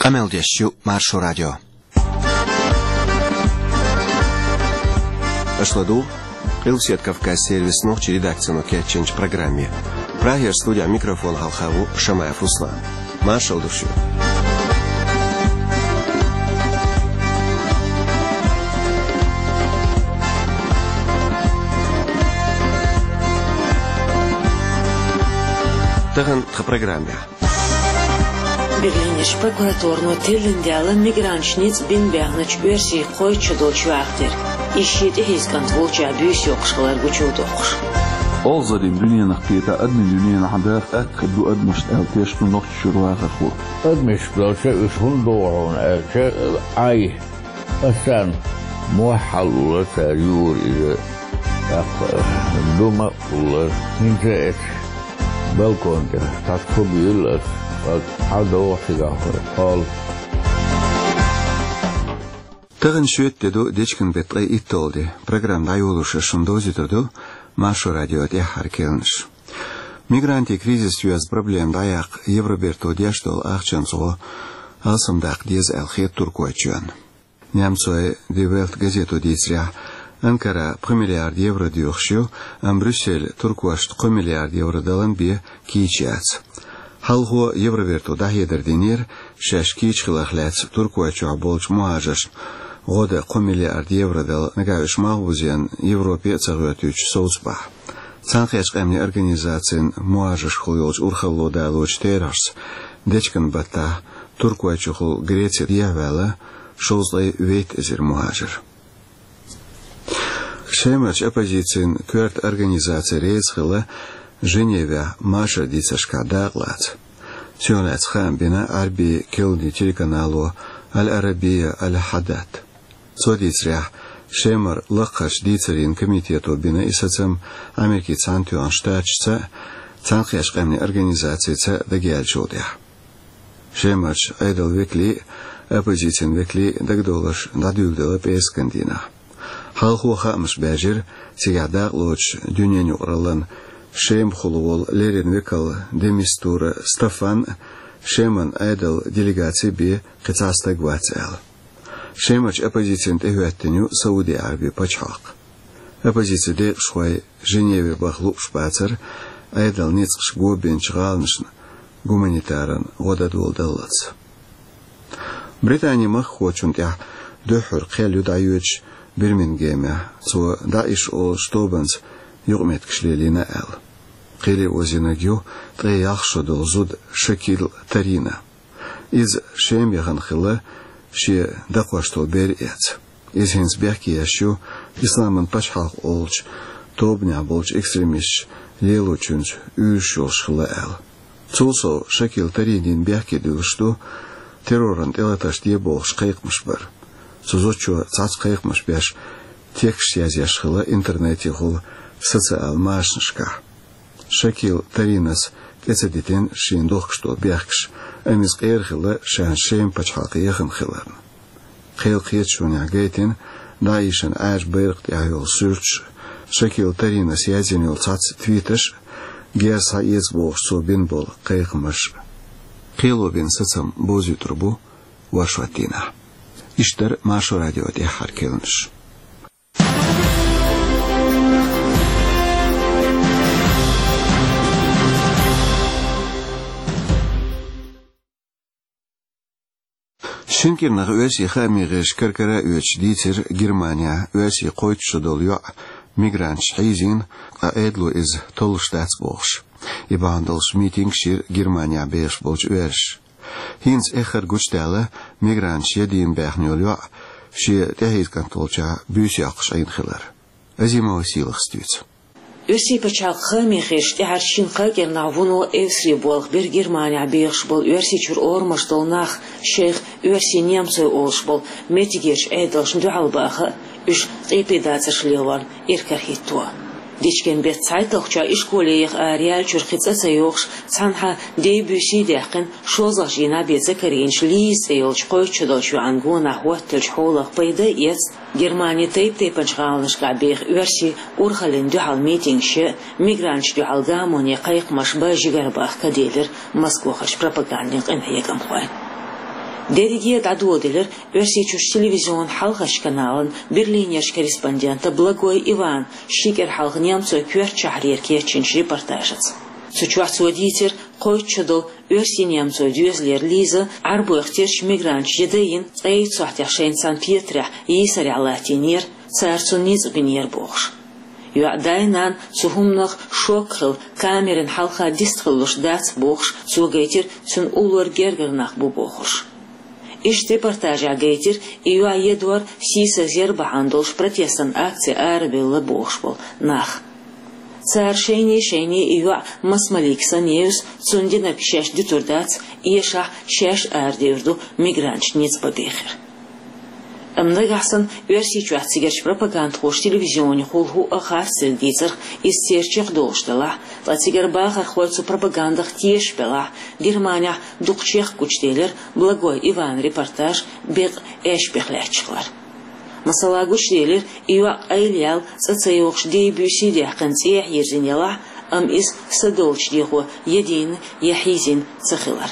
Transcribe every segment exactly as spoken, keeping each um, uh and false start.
Къамел деш ю Маршо радио. Аша ладугӀу Къилбаседа Кавказан сервисан нохчийн редакцино кечйинчу программе. Прагера студехь микрофон хьалха ву Шамаев Руслан. Маршалла ду шуьга. Тахана тхан программехь. Берлинерчу прокуратуро теллина даьлла мигранташ ницкъ бина баьхначу оьрсийн кхойтта шо долчу юьхьах дерг. Иза шен тӀехьийза кӀант волчохь буьйса йоккхуш хилар гучудоккхуш. Олхазарийн дуьненах кхета, адамийн дуьненахь даха атта хир ду адамашна аьлла тешна ду Нохчийчуьра вахархо. Адамаш долча уьш хӀунда догӀу хьуна аьлча, Ӏай, ас царна мохь хьалула цара юура иза, тӀаккха дума а хулара. ХӀинца а эцу балкон тӀехь цхьацца хӀу буьйлла ас, ас хьал догӀу цигахь хӀара кхолла. Тахана шоьтан де ду, дечкен беттан ткъе итталгӀа де. Программа дӀайолош ас шуна довзуьйтур ду Маршо радион тӀаьххьара кхаьънаш. Мигрантийн кризис йоьзна проблема дӀаяккха Евроберто деш долу ахчанца гӀо алсамдаккха деза аьлла хета Туркойчоьнна. Немцойн Die Welt газето дийцарехь, Анкара пхи миллиард евро доьхуш ю, амма Брюссель туркошна кхо миллиард евро далан бен кийча яц. Хьалхо Евроберто дӀахьедар динера, шаьш кийча хиларх лаьцна Туркойчохь болчу мухӀажаршна гӀо дан кхо миллиард евро дала, нагахь уьш малхбузенна Европе а ца гӀоьртича совцабахь. Цхьаьнакхеттачу Къаьмнийн Организацин мухӀажаршкахула йолчу урхалло далочу терахьашца, дечкен баттахь Туркойчухула Греце дехьаваьлла шовзткъе вейтта эзар мухӀажар. Шемарчу оппозицин коьрта организаци реза хилла Женевехь машар дийцаршкахь дакъа лаца. Цунах лаьцна хаам бина Ӏаьрбийн керланийн телеканало Аль-Арабия Аль-Хьадат. Цо дийцарехь, Шемара лакхарчу дийцарийн комитето бина и сацам Америкин Цхьаьнатоьхна Штаташца а, Цхьаьнакхеттачу Къаьмнийн Организацица а дагаяьллачул тӀаьхьа. Шемарчу Ӏедалан векалийн а, оппозицин векалийн а дагадовларш дӀадуьйладелла пӀераскан дийнахь. Хьалхо хаамаш баьржира, цигахь дакъалоцуш дуьненан юкъараллин Шемахула волу леррина векал де Мистура Стаффан а, Шеман Ӏедалан делегаци бен кхин цхьа стаг вац аьлла. Шемарчу оппозицина тӀехӀоьттина ю Сауди Ӏаьрбийн пачхьалкх. Оппозицин декъашхой Женеве баха лууш бацара Ӏедалан ницкъаш го бинчу гӀаланашна гуманитаран гӀо дан доладаллалц. Британин махкахочунна тӀехь дуьххьара кхел ю дӀайоьдуш Бирмингемехь, цо ДАИШ олучу тобанца юкъаметтигаш лелийна аьлла. Кхеле озийнарг ю ткъе ялх шо долу зуда Шакил Тарина. Иза Шема яхана хилла шен дакхош долу бер а эцна. Иза хӀинца бехке еш ю Исламан пачхьалкх олучу тобанехь болчу экстремисташа лелочуьнца уьйраш йолуш хилла аьлла. Цул сов Шакил Таринина бехке дуьллуш ду терроран тӀелатарш де бохуш кхайкхамаш бар. Цу зудчо цхьацца кхайкхамаш беш тексташ язъеш хилла интернетехула социал машанашкахь. Шакил Таринас тӀе ца дитина шена дохкуш долу бехкаш, амма иза къера хилла шена Шема пачхьалкх яхана хиларна. Кхелан кхеташонехь гайтина ДАИШан Ӏаьржа байракх тӀехь йолу суьрташ, Шакил Таринас язйина йолу цхьацца твиташ, герз схьаэца бохуш цо бина болу кхайкхамаш. Кхело бина сацам бовзуьйтур бу вайшийтинехь. Иштта дара Маршо радион тӀаьххьара кхаьънаш. Шина кӀирнах оьрсийн хаамийн гӀирсаша кар-кара а оьцуш дийцира Германехь оьрсийн кхойтта шо долу йоӀ мигранташца хьийзийна, ткъа Ӏедало иза толлуш дац бохуш. И бахьана долуш митингаш йира Германехь бехаш болчу оьрсаша. ХӀинца эххар гучудаьлла мигранташа ядийна баьхна йолу йоӀ шен тӀехьийза кӀант волчохь буьйса йоккхуш Ӏийна хилар. Азимова Сийлахас дуьйцу. Оьрсийн пачхьалкхан хаамийн гӀирсаша тӀаьххьарчу шина-кхаа кӀирнахь вуно эвсаре болх бира Германехь бехаш болу Оьрсийчуьра орамаш долу нах шайх оьрсий-немцой олуш болу меттигерчу Ӏедалшна дуьхьал баха а, уьш къепедацарш лелорна иракарахӀитто. Дечкен беттан цхьайтталгӀачохь ишколе яха араяьллачуьра кхин цӀа ца йогӀуш, цхьанхьа дей-буьйсий даьккхина, шолгӀачу дийнахь бен ца карийначу Лиза цӀе йолчу кхойтта шо долчу йоӀан гонах хӀоттаделлачу хьолах пайда а эцна, Германин тайп-тайпанчу гӀаланашкахь беха оьрсий урхаллина дуьхьал митингаш ян, мигранташна дуьхьал гамоне кхайкхамаш бан жигарабахка делира Москвахарчу пропагандин къинхьегамхойн. Дерриге а дӀадоладелира Оьрсийчуьрчу телевизионан хьалхарчу каналан Берлинерчу корреспондента Благой Ивана ши кӀира хьалха немцойн коьртачу шахьарера кечйинчу репортажаца. Цу чохь цо дийцира кхойтта шо долу оьрсийн-немцойн доьзалера Лиза Ӏарбойх терчу мигранташна ян дайина, ткъе итт сохьтехь шайна цхьана петарехь йийсарехь латтийнера, цара цунна ницкъ бинера бохуш. ЙоӀ, да-нана цу хӀуманах шок а хилла, камеран хьалха дистхиллуш дац бохуш, цо гайтира, цуьнан уллора гергара нах бу бохуш. Иштта репортажехь гайтира и йоӀ едор, сийсаз яр бахьана долуш протестан акци арабевлла бохуш болу нах. Цара шайне-шайне и йоӀ маса малийга санна евза, цунна динарг шаьш дитур дац, эшахь шаьш арадевр ду мигранташна ницкъ бан бехира. Амма нагахь санна Оьрсийчохь цигарчу пропагандхоша телевизионехула хӀуъа харцдерг дийцарх, иза церан чекхдолуш делахь, ткъа цигара бахархой цу пропагандах тешаш белахь, Германехь дукха чехка гучуделира Благой Иван репортаж бекъа Эшпех лаьтташ хилар. Масала, гучуделира и йоӀ къайлаяьлла, цӀа ца йогӀуш, дий-буьйсий даьккхина цӀехьа йирзина елахь, амма иза са долчу дехо я дийна, я хьийзийна ца хилар.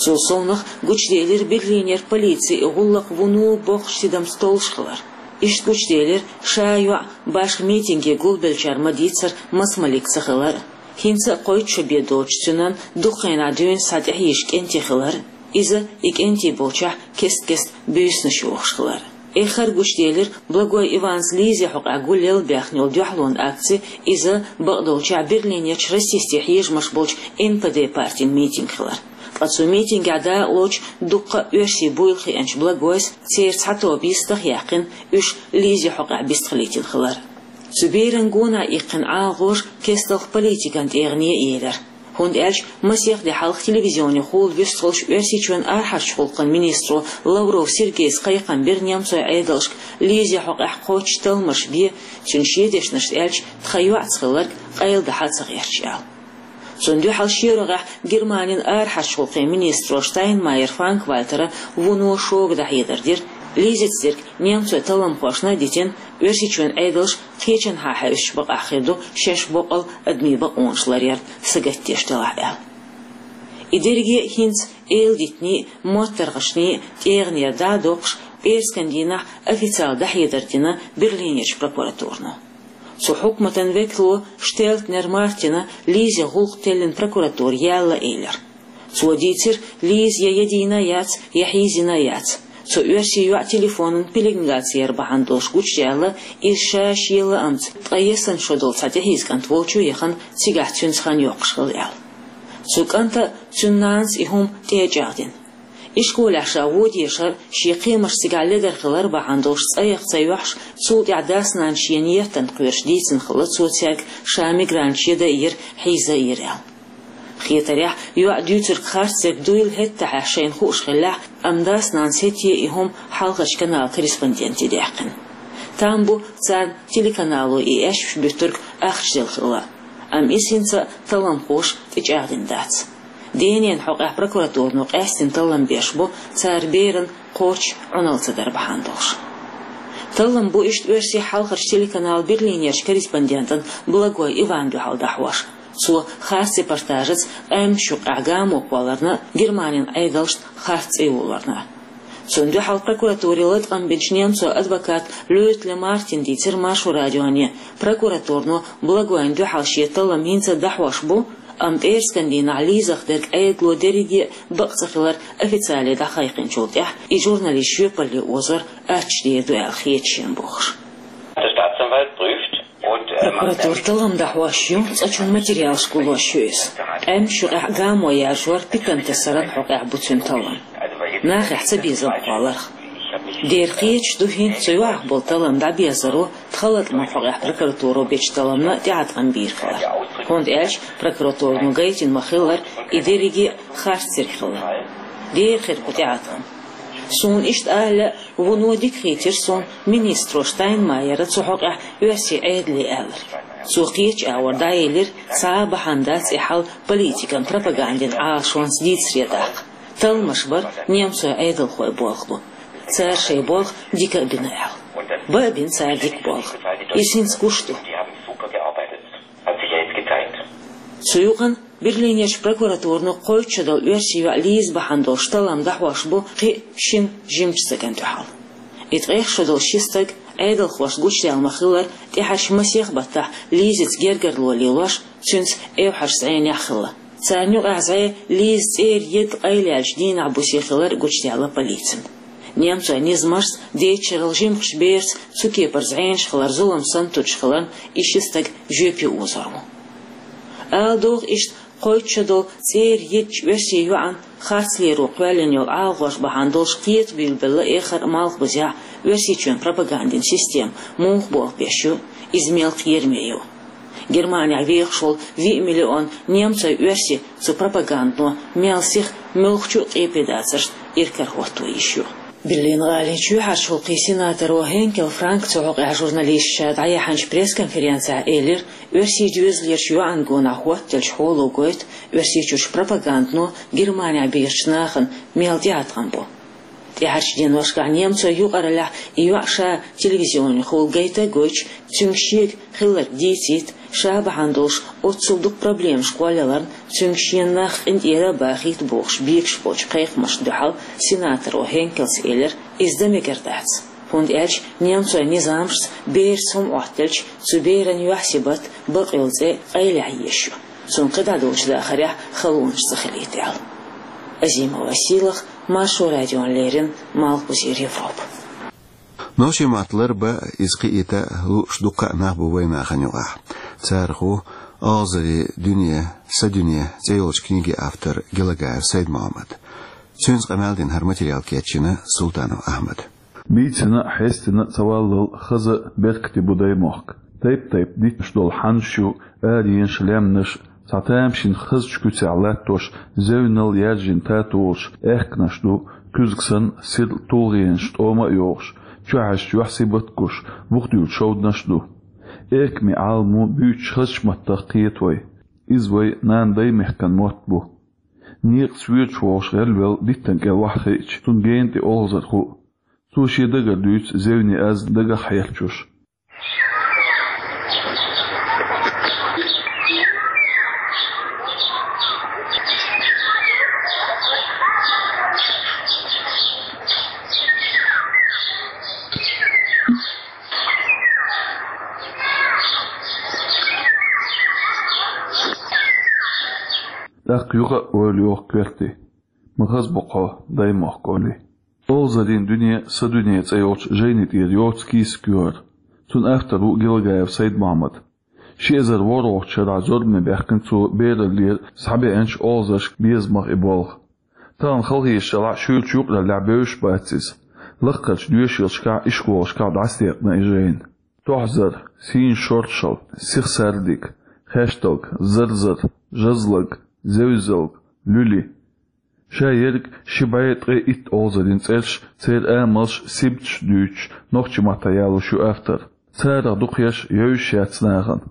Цул совнаха гучуделира Берлинера полици и гӀуллакх вуно боккхачу тидамца толлуш хилар. Иштта гучуделира ша йоӀ башха митинге гулбеллачара ма-дийццара маса малик ца хилар, хӀинца а кхойтта шо бен доцучу цуьнан дукха хенахь дуьйна схьа тӀехьийзаш кӀентий хилар, иза и кӀентий болчохь кест-кеста буьйсанаш йохуш хилар. Эххар гучуделира Благой Иванца Лизин хьокъехь гулъелла баьхна йолу дуьхьалонан акци, иза, бакъдолчохь, Берлинерчу расистийн хьежамаш болчу Н П Д партин митинг хилар. Ткъа цу митингехь дакъалоцуш дуккха а оьрсий буйла хиъначу Благойс, церан цхьа тоба йистах а яьккхина, уьш Лизин хьокъехь бистхилийтина хилар. Цу беран гонах иккхина ӀалагӀожа кестта политикан тӀегӀане а елира. ХӀунда аьлча масех де хьалха телевизионехула вуьсталуш Оьрсийчоьнан арахьарчу гӀуллакхийн министро Лавров Сергейс кхайкхам бира немцойн Ӏедалшка Лизин хьокъехь кхоччуш талламаш бе, цуьнан шен дешнашца аьлча, тхан йоӀца хилларг къайладахьа ца гӀерташ аьлла. Цунна дуьхьал шен рогӀехь Германин арахьарчу гӀуллакхийн министро Штайнмайер Франк-Вальтера вуно шога дӀахьедар дира, Лизица дерг немцойн талламхошна а дитина, Оьрсийчоьнан Ӏедалш кхечанхьа хьаьвсича бакъахь хир ду шаьш боккъал адамийн бакъонаш ларъяр сагатдеш делахь аьлла. И дерриге а хӀинца эладитанийн а, моттаргӀанийн а тӀегӀанера дӀа а доккхуш, пӀераскан дийнахь официалан дӀахьедар дина Берлинерчу прокуратуро. Цу хьукматан векало Штелтнер Мартина Лизин гӀуллакх теллина прокуратуре яьлла элира. Цо дийцира, Лиза я ядийна яц, я хьийзийна яц. Цу оьрсийн йоӀан телефонан пеленгаци яр бахьана долуш гучудаьлла, иза ша шен лаамца, ткъе исс шо долу цхьа тӀехьийза кӀант волчу яхана, цигахь цуьнца хан йоккхуш хилла аьлла. Цу кӀанта а, цуьнан нанас а и хӀума тӀе а чӀагӀдина. Ишколехь ша вон дешар, шен кхиамаш цигахь ледара хилар бахьана долуш цӀа яха ца йоьхьуш, цул тӀаьхьа дас-нанас шена еттанна кхоьруш дийцина хилла цо цаьрга, ша мигранташ ян дайира, хьийза а йира аьлла. Хетарехь, йоӀа дуьйцург харцдерг дуйла хӀетахь шайна хууш хиллехь, амма дас-нанас хӀетте а и хӀума хьалхарчу каналан корреспонденте даьккхина. Там бу царна телеканало и эшпаш буьттург ахча делла хилла, амма иза хӀинца а талламхоша тӀечӀагӀдина дац. Денен хьокъехь прокуратуро къаьстина таллам беш бу, цара беран кхоччуш Ӏуналла ца дар бахьана долуш. Таллам бу иштта оьрсийн хьалхарчу телеканалан Берлинерчу корреспондентан Благой Иванан дуьхьал дӀахьош. Цо харц репортажаца къаьмнаш юкъахь гамо кхолларна а, Германин Ӏедалшна харц цӀе йолорна а. Цунна дуьхьал прокуратуре латкъам бинчу немцойн адвоката Лёйтле Мартина дийцира Маршо радионе, прокуратуро Благойна дуьхьал шен таллам хӀинца а дӀахьош бу, амма пӀераскан дийнахь Лизах дерг Ӏедало дерриге а бакъ ца хилар официале дӀакхайкхинчул тӀаьхьа и журналист жоьпалле озор аттачу дер ду аьлла хета шена бохуш. Der Staatsanwalt prüft und, äh, macht Прокуратура таллам дӀахьош ю, цкъачунна материалаш гуллош ю иза. Къаьмнаш юкъахь гамо яржор питана тасаран хьокъехь бу цуьнан таллам. Нахехь цабезам кхолларх. Дера кхеташ ду хӀинца цу йоӀах болу таллам дӀабезаро тхан латкъаман хьокъехь прокуратуро бечу талламна тӀеӀаткъам бийр хилар. ХӀунда аьлча прокуратуро гайтина ма-хиллара, и дерриге а харцдерг хилла. Дера хир кху тӀеӀаткъам. Суна иштта ала лаьа, вуно дика хийтира суна министро Штайнмайера цу хьокъехь оьрсийн Ӏедале аьлларг. Цо кхечу агӀор дӀаелира, цхьа а бахьана дац и хьал политикан пропагандин Ӏалашонца дийцаре даккха. Талламаш бар немцойн Ӏедалхойн болх бу. Цара шайн болх дика а бина аьлла. Бан а бина цара дика болх. Иза хӀинца гуш ду. Цу юкъана Берлинерчу прокуратурано кхойтта шо долу оьрсийн йоӀ Лиза бахьана долуш таллам дӀахьош бу кхин а шина жимачу стагана дуьхьал. И ткъех шо долу ши стаг, Ӏедалхошна гучудаьлла ма-хиллара, тӀаьхьарчу масех баттахь Лизица гергарло лелош, цуьнца эвхьарчу зӀенехь хилла. Царна юкъахь зӀе Лиза цӀера едда къайлаяьллачу дийнахь-бусе хилар гучудаьлла полицина. Немцойн низамашца, дечерал жимачу бераца цу кепара зӀенаш хилар зулам санна туьдуш хиларна, и ши стаг жоьпе озор ву. Ала догӀу, иштта кхойтта шо долу цӀера йиддачу оьрсийн йоӀана харцлеро кхоьллина йолу ӀалагӀож бахьана долуш кхета буьйлабелла эххар а Малхбузехь Оьрсийчоьнан пропагандин система муха болх беш ю, иза мел кхераме ю. Германехь вехаш волу виъ миллион немцойн оьрси цу пропагандано мел сиха, муьлххачу а къепе дацаршна иракарахӀотто йиш ю. Берлин-гӀалин чоьхьарчу гӀуллакхийн сенаторо Хенкел Франка цу хьокъехь журналисташка дӀаяьхьначу пресс-конференцехь элира, оьрсийн доьзалерчу йоӀана гонах хӀоттаделлачу хьоло гойту Оьрсийчуьрчу пропагандано Германехь бехачу нахана мел тӀеӀаткъам бу. ТӀаьхьарчу деношкахь немцойн юкъараллехь и йоӀ ша телевизионехула гайта а гойтуш, цуьнга шега хилларг дийцийта, ша бахьана долуш оццул дукха проблемаш кхоллаяларна, цуьнга шена нах къинтӀера а бахийта бохуш бегаш болчу кхайкхамашна дуьхьал сенаторо Хенкелс элира, иза дан мегар дац. ХӀунда аьлча немцойн низамашца бераца хӀума Ӏоттаделча, цу беран юьхь-сибат, бакъйолу цӀе къайлаяхьа езаш ю. Цунна кхин дӀа долчу дахарехь халонаш ца хилийта аьлла. Азимова Сийлаха, Маршо радиона леррина, Малхбузера Европа. Нохчийн мотт ларбан, иза кхиийта лууш дуккха а нах бу вайн нахана юкъахь. Царах ву «Олхазарийн дуьне, сан дуьне» цӀе йолчу книгин автор Гелагаев Сайд-Мохьмад. Цуьнца къамел дина хӀара материал кечйина Султанов Ахьмада. Бийцина а, хьестина а ца валлал, хаза а, беркате бу даймохк. Тайп-тайпа дитташ долу хьаннаш ю, аренаш, лаьмнаш, цхьа тамашийна хазачу куьцехь латтош, зевнал яржийна татолаш, аьхкенаш ду, куьзга санна, сирла тулгӀенаш тӀома а йохуш, чохь а юьхь-сибат гуш, бухдуьйлу шовданаш а ду. Эркаме Ӏаламо буьйцучу хазачу маттах кхета вай. Иза вай нана-даймехкан мотт бу. Некъаца воьдуш вогӀуш гӀелвелла диттан кӀел ваха хиъча, цунна гена тӀе олхазар хуу. Цо шен дагара дуьйцу зевне аз дагах хьерчош. ТӀаккха юха а ойла йоху коьрте. Ма хаза бу кхо даймохк олий. «Олхазарийн дуьне, сан дуьне» цӀе йолчу жайни тӀера йоцу кийсак ю хӀара. Цуьнан автор ву Гелагаев Сайд-Мохьмад. Ши эзар ворхӀалгӀачу шарахь зорбане баьхкина цо бераллера схьабеанчу олхазаршка безамах и болх. Тахана халахеташ делахь а, шуьйрачу юкъараллехь бевзаш бац иза. Лаккхарчу доьшийлашкахь, ишколашкахь дӀасадекъна и жайна. Тохьзар, сийна шоршалла, сиха сардиг, хешталг, зарзар, жазлаг, зевзалг, луьли. Ша ерг ши бӀе ткъе итт олхазарийн цӀераш, церан амалш, сибаташ дуьйцуш, нохчийн маттахь ялош ю автор. Царах дукхаерш евзаш яц нахана.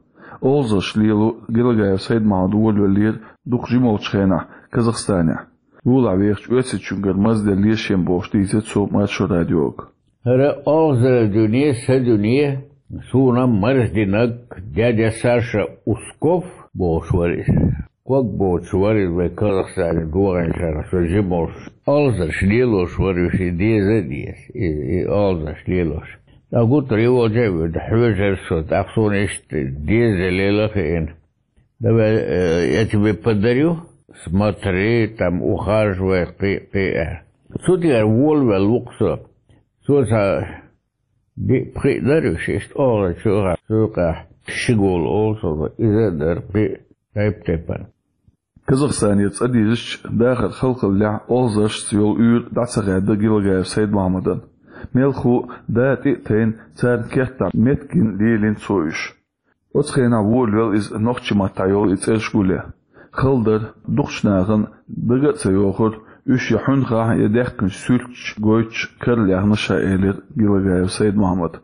Олхазарш лело Гелагаев Сайд-Мохьмад волавеллера дукха жимолчу хенахь Казахстанехь. Юлахь вехачу оьрсичуьнгара мазделла лешийна бохуш дийцира цо Маршо радиога. ХӀара «Олхазарийн дуьне, сан дуьне» суна маршдинарг дядя Саша Усков бохуш вара иза. Ког боцуш вара иза вай Казахстане догӀинчарах, со жимолуш. Олхазарш лелош вара уьш, и деза а деза, и, и олхазарш лелош. ТӀаккха гуттар а волча а вуьту, хьоьжура со, тӀаккха суна иштта деза лела а хиъна. Давай, э, я тебе подарю, смотри, там, ухаживай, кхин, кхин, аьлла. Цу тӀера волавелла ву-кх со. Цо цхьа диъ-пхиъ дара уьш, иштта олхазарш ю хьан, цу юкъахь Шигула олу цунах, иза а дара, кхин а тайп-тайпана. Казахстанера цӀа дирзича, дахар халхаллехь, олхазаршца йолу уьйр дӀа ца хаьдда Гелагаев Сайд-Мохьмадан. Мелхо а, да тӀе а тайна, царна кертахь меттигна лелийна цо уьш. Оцу хенахь волавелла иза нохчийн маттахь йолу и цӀераш гулъян. Хала дара, дукхачу нахана дага а ца йохура, уьш я хьуьнхахь, я даьхкинчу суьрташ гойтуш карла яьхна ша, элира Гелагаев Сайд-Мохьмада.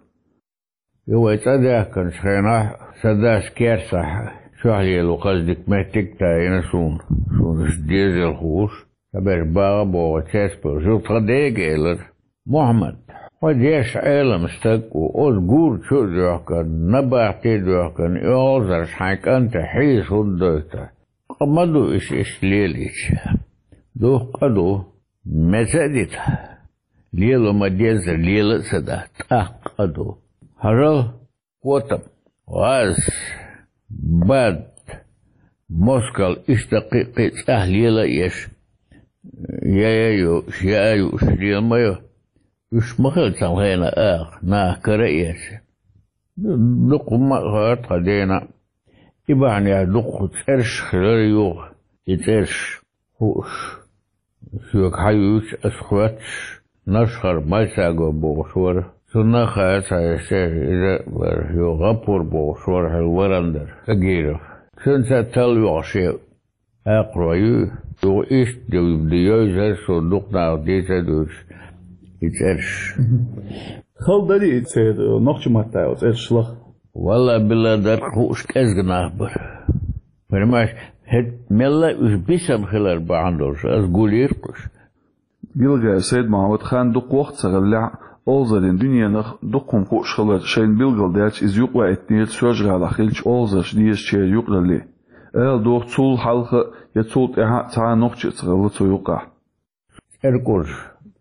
И вай цӀа даьхкинчу хенахь, сан дас кертахь чохь лело хаза дика меттиг а тайна суна, суна уьш дезал хууш. Сан берш багӀа а богӀу, цецбевзаш, тхан дега элира: «Мохьмад, хьо дешан Ӏелам стаг ву, оцу гур чу а доьхкина, набахте а доьхкина, и олхазарш хьайн кӀанте хьийза хӀунда дойту?» Ма ду уьш иштта лелийча. Дуккха а ду. Меца а дита. Лела ма деззара, лела а ца да. ТӀаккха а ду. Хьажал, котам, гӀаз, бад, москал, иштта кхин а, кхин а цӀахь лела а еш, я а юуш, я а юуш лела ма ю. Уьш ма хилла цхьана хенахь аха, наха кара а эцна. Дукха хӀума а хаьара тхан дена. И бахьанехь дукха цӀераш хилар юха, и цӀераш хууш. Соьга хьаюьйцуш, ас хоьттуш, Нашхара Майсаго бохуш вара. Цунна а хаьара цхьа эшшера, иза а вара, юха ГӀаппур бохуш вара хьуна, варан дара, Тагиров. Цуьнца а талла йогӀуш я. Акхарой ю, юха иштта ду, ду йовзар, со дукха нах дийца а дуьйцуш, и цӀераш. Хала дарий церан нохчийн маттахь йолу цӀераш лаха? Валла-билла, дара хууш кӀезга нах бара. Понимаешь, хӀета мелла а уьш бисина хилар бахьана долуш, ас гулйира-кх уьш. Гилагаев Сайд-Мохьмад хан дукха воккха ца хиллехь а, олхазарийн дуьненах дукха хӀума хууш хилар шайна билгалдаьлча, иза юкъаваийтинера Соьлжа-ГӀалахь хиллачу олхазарша дезачеран юкъаралле. Ала догӀу, цул хьалха а, я цул тӀаьхьа а цхьа а нохчи а ца хилла цу юкъахь. ЦӀеркъурш,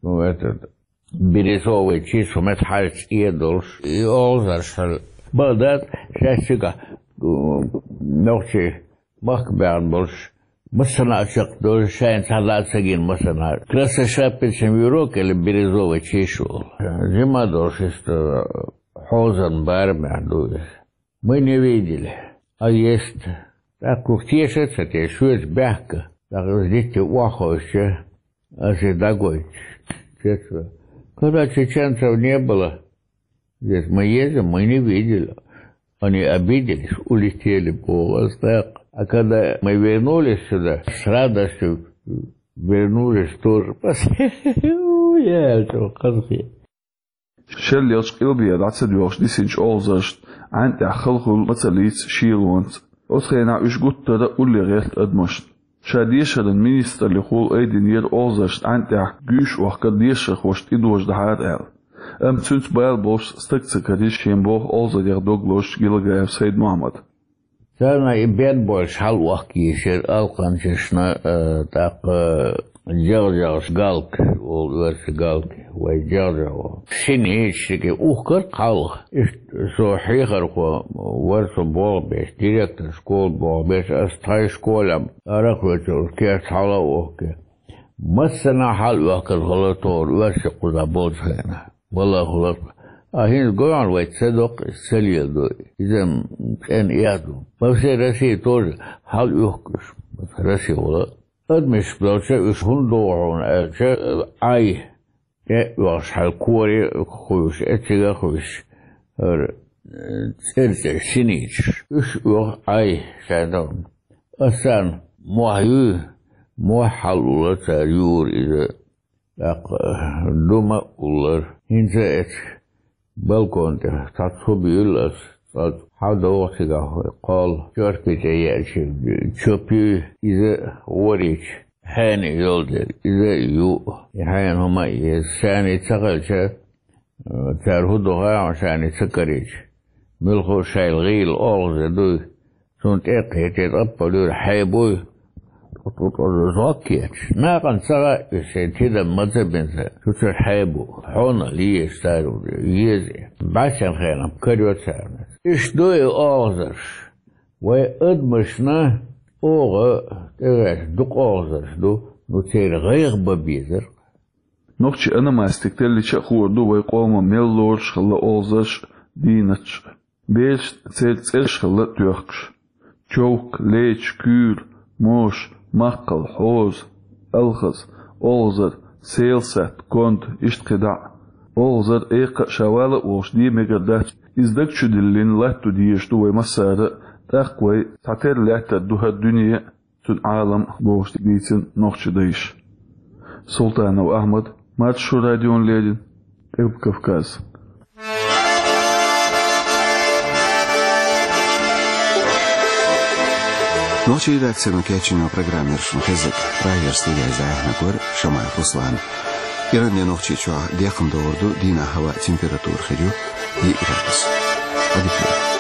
ну, этот, бирюзовый чиш, хӀума хьаьжча цӀе долуш, и олхазарш хьал. Бакъ дац, шаьш цигахь, нохчий махка баьхна болуш, массанхьа а чекхдолуш, шайна цхьа лаьа ца гина массанхьа. Красная шапочка, вирок или бирюзовый чиш волу. Жима долуш иштта хьозан барамехь ду иза. Мы не видели. А есть. ТӀаккха уьш теша а ца теша, шоьца баьхка. ТӀаккха иза дитте охьахевшича, ас и дӀагойтуш. Чечва. Когда чеченцев не было, здесь мы едем, мы не видели. Они обиделись, улетели, боху ас тӀаккха. А когда мы вернулись сюда, с радостью вернулись тоже. Яьлча хазахе. Шеллехчу къилбехьа дӀа ца доьлхуш дисинчу олхазаршна Ӏаьн тӀехь хала хуьлу ма ца лийца шелонца. Оцу хенахь уьш гуттара а улле гӀерта адамашна. Ша дешаран министраллехула айдинера олхазаршна Ӏаьн тӀехь гуьйш охкар дешархошна тӀедожадахьара аьлла. Амма цуьнца бала болуш стаг ца карийра шен боху олхазарех дог лозучу Гилагаев Сайд-Мохьмада. Царна и бен болуш хьала охка йийшира алкханчашна, э, тӀаккха, э, жагӀжагӀаш галка, олу оьрсийн галка, вай жагӀжагӀо. Синича шике ухкар хьалха. Иштта со хьехархо вара, со болх беш, директор школы болх беш, ас тхайн школе арахоьцург керта хьала а охке. Массанхьа хьала оьхкар хилла тохара оьрсийн кхузахь болчу хенахь. Валлахь, хӀуллакх. А хӀинца гойхьана вай ца доккху, ца леладо. Иза-м цӀена эхь ду. По всей России тоже хьала оьхкуш. Россия вала. Адамаш долча уьш хӀунда догӀу хьуна аьлча, Ӏай тӀе а оьхуш, хьал коре а хуьйш, эццига а хуьйш, хӀара, э, цӀерцӀе синичаш. Уьш оьху Ӏай шайна. Ас царна мохь юй, мохь хьалаулла цара юра иза. ТӀаккха дума а уллара. ХӀинца а эцу балкон тӀе цхьацца хӀу буьйлла ас, цкъа хьадогӀу цигахь кхолла, чорпи тӀе еача, чопуьй, иза а ворийча, хьенан йолу дерг, иза а ю, и хьенан хӀума а еза. Шаний ца хилча, цара хӀу ду хаьа, шаний ца карийча, муьлхха а шайла гӀийла олхаза дуй. Цунна тӀе а кхетий, тӀаппалуьйра хьебуй, тӀу-тӀу-тӀу зӀок кечаш. Накъана ца хаьа уьш шайн тидам ма ца бинча, цу чуьра хьебу. Хьона лезаш цара еза. БӀаьссан хенахь карайо царна. Иштта ду и олхазарш. Вай адамашна оха тӀегӀерта дукха олхазарш ду, ну церан гӀайгӀа бан безара. Нохчийн ономастика теллича а хуур ду вай къоман мел лоруш хилла олхазарш а, дийнаташ а. Бераш церан цӀераш хилла тоьхкуш. Човк, леча, куьйра, моша, маккхал, хьоза, алхаза, олхазар, селсатта, конда, иштта кхидӀа а. Олхазар эккха а ша вала а волуш де мегар дац. Иза даг чу диллина латто дезаш ду вай массара а, тӀаккха вай цхьатерра лаьттар ду хӀара дуьне а, цуьнан Ӏалам а, бохуш дийцина нохчийн дайша. Султанов Ахьмад, Маршо радиона леррина, Къилба Кавказ. Нохчийн редакцино кечйина программа яра шуна хезнарг. Прагера студехь яздина вара Шамаев Руслан. Иранан нохчийчохь декхна догӀур ду, дийнахь хӀаваан температура хир ю диъ градус. Ӏадика йойла.